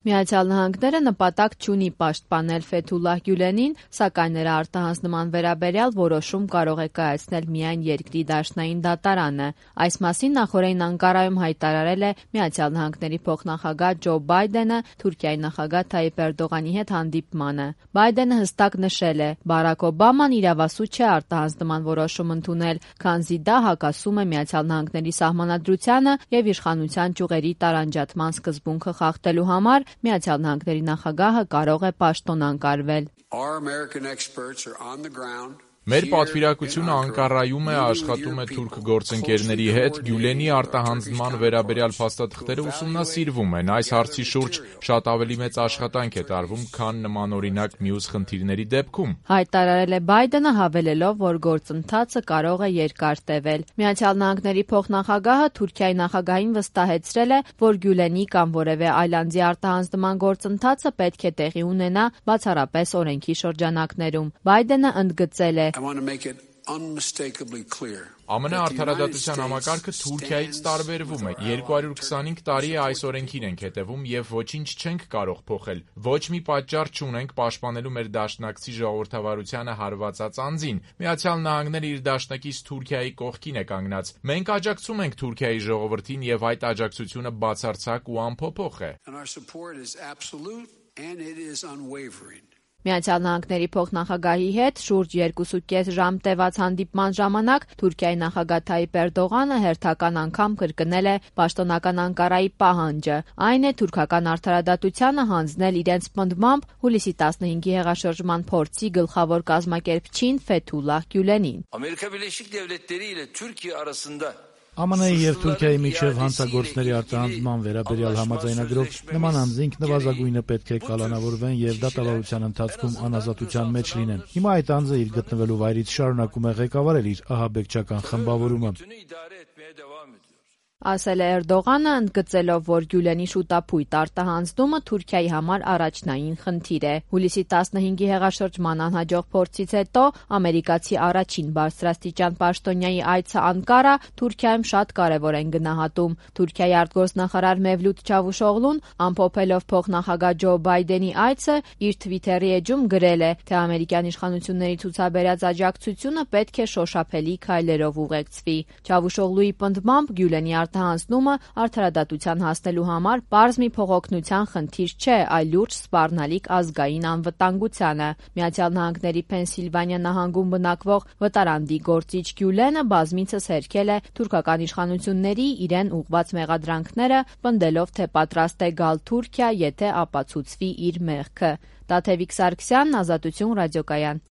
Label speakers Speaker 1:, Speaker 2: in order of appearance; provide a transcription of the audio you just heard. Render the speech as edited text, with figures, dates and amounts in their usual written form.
Speaker 1: Միացյալ Նահանգները նպատակ չունի պաշտպանել Ֆեթուլլահ Գյուլենին, սակայն նրա արտահանձնման վերաբերյալ որոշում կարող է կայացնել միայն երկրի դաշնային դատարանը։ Այս մասին նախօրեին Անկարայում հայտարարել է Միացյալ Նահանգների փոխնախագահ Ջո Բայդենը Թուրքիայի նախագահ Թայիպ Էրդողանի հետ հանդիպմանը։ Բայդենը հստակ նշել է՝ Բարաք Օբաման իրավասու չէ արտահանձնման որոշում ընդունել, քանզի դա հակասում է Միացյալ Նահանգների սահմանադրությանը եւ իշխանության ճյուղերի տարանջատման սկզբունքը խախտելու համար Միացյալ Նահանգների նախագահը կարող է պաշտոնակարվել։
Speaker 2: Մեր պատվիրակությունը Անկարայում է, աշխատում է թուրք գործընկերների հետ, Գյուլենի արտահանձնման վերաբերյալ փաստաթղթերը ուսումնասիրվում են։ Այս հարցի շուրջ շատ ավելի մեծ աշխատանք է տարվում, քան նմանօրինակ մյուս խնդիրների դեպքում։
Speaker 1: Հայտարարել է Բայդենը, հավելելով, որ գործընթացը կարող է երկար տևել։ Միացյալ Նահանգների փոխնախագահը Թուրքիայի նախագահին վստահեցրել է, որ Գյուլենի կամ որևէ այլ անձի արտահանձնման գործընթացը պետք է տեղի ունենա բացառապես օրենքի շրջանակներում։ Բայդենը ընդգծել է.
Speaker 2: ԱՄՆ-արդարադատության համակարգը Թուրքիայից տարբերվում է։ 225 տարի է այս օրենքին ենք հետևում եւ ոչինչ չենք կարող փոխել։ Ոչ մի պատճառ չունենք պաշտպանելու մեր դաշնակցի ժողովրդավարությանը հարվածած անձին։ Միացյալ Նահանգները իր դաշնակից Թուրքիայի կողքին է կանգնած։ Մենք աջակցում ենք Թուրքիայի ժողովրդին եւ այդ աջակցությունը բացարձակ ու անփոփոխ է։
Speaker 1: Միացյալ Նահանգների փոխնախագահի հետ շուրջ 2.5 ժամ տևած հանդիպման ժամանակ Թուրքիայի նախագահ Թայիպ Էրդողանը հերթական անգամ կրկնել է պաշտոնական Անկարայի պահանջը։ Այն է թուրքական արդարադատությանը հանձնել իրենց պնդմամբ հուլիսի 15-ի հեղաշրջման փորձի գլխավոր կազմակերպչին Ֆեթուլլահ Գյուլենին։
Speaker 3: ԱՄՆ-ի եւ Թուրքիայի միջև հանցագործների արտահանձնման վերաբերյալ համաձայնագրով նման անձինք նվազագույնը պետք է կալանավորվեն եւ դատավարության ընթացքում անազատության մեջ լինեն։ Հիմա այդ անձը իր գտնվելու վայրից շարունակում է ղեկավարել իր ահաբեկչական խմբավորումը։
Speaker 1: Ասել է Էրդողանը, ընդգծելով, որ Գյուլենի շուտապույտ արտահանձնումը Թուրքիայի համար առաջնային խնդիր է։ Հուլիսի 15-ի հեղաշրջման անհաջող փորձից հետո ամերիկացի առաջին բարձրաստիճան պաշտոնյայի այցը Անկարա Թուրքիայում շատ կարևոր են գնահատում։ Թուրքիայի արտգործնախարար Մևլութ Չավուշօղլուն, ամփոփելով փոխնախագահ Ջո Բայդենի այցը, իր Թվիթերի էջում գրել է, թե ամերիկյան իշխանությունների ցուցաբերած աջակցությունը պետք է շոշափելի քայլերով ուղեկցվի։ Չավուշօղլուի պնդմամբ Գյուլենի արտահանձնումը արդարադատության հասնելու համար պարզ մի փողօգնության խնդիր չէ, այլ լուրջ սպառնալիք ազգային անվտանգությանը։ Միացյալ Նահանգների Փենսիլվանիա նահանգում բնակվող վտարանդի գործիչ Գյուլենը բազմիցս հերքել է թուրքական իշխանությունների իրեն ուղղված մեղադրանքները, պնդելով, թե պատրաստ է գալ Թուրքիա, եթե ապացուցվի իր մեղքը։ Տաթևիկ Սարգսյան, Ազատություն ռադիոկայան։